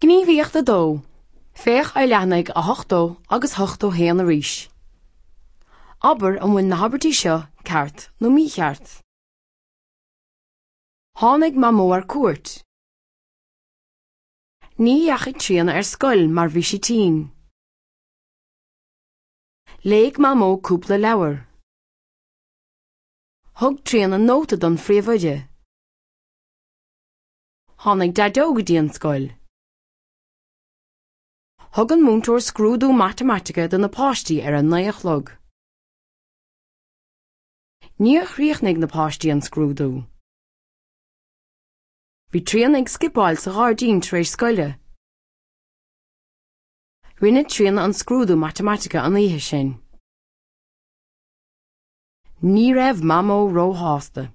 Gníomhaíocht 2, Féach ar leathanaigh 80 agus 81 arís. Abair an bhfuil na habairtí seo ceart nó mícheart. Tháinig Mamó ar cuairt. Ní dheachaigh Tríona ar scoil mar bhí sí tinn. Léigh Mamó cúpla leabhar. Thug Tríona nóta don phríomhoide. Tháinig Daideo go dtí an scoil. Thug an múinteoir scrúdú matamaitice do na páistí ar a 9 a chlog. Níor chríochnaigh na páistí an scrúdú. Bhí Tríona ag scipeáil sa ghairdín tar éis scoile. Rinne Tríona an scrúdú matamaitice an oíche sin. Ní raibh Mamó róshásta.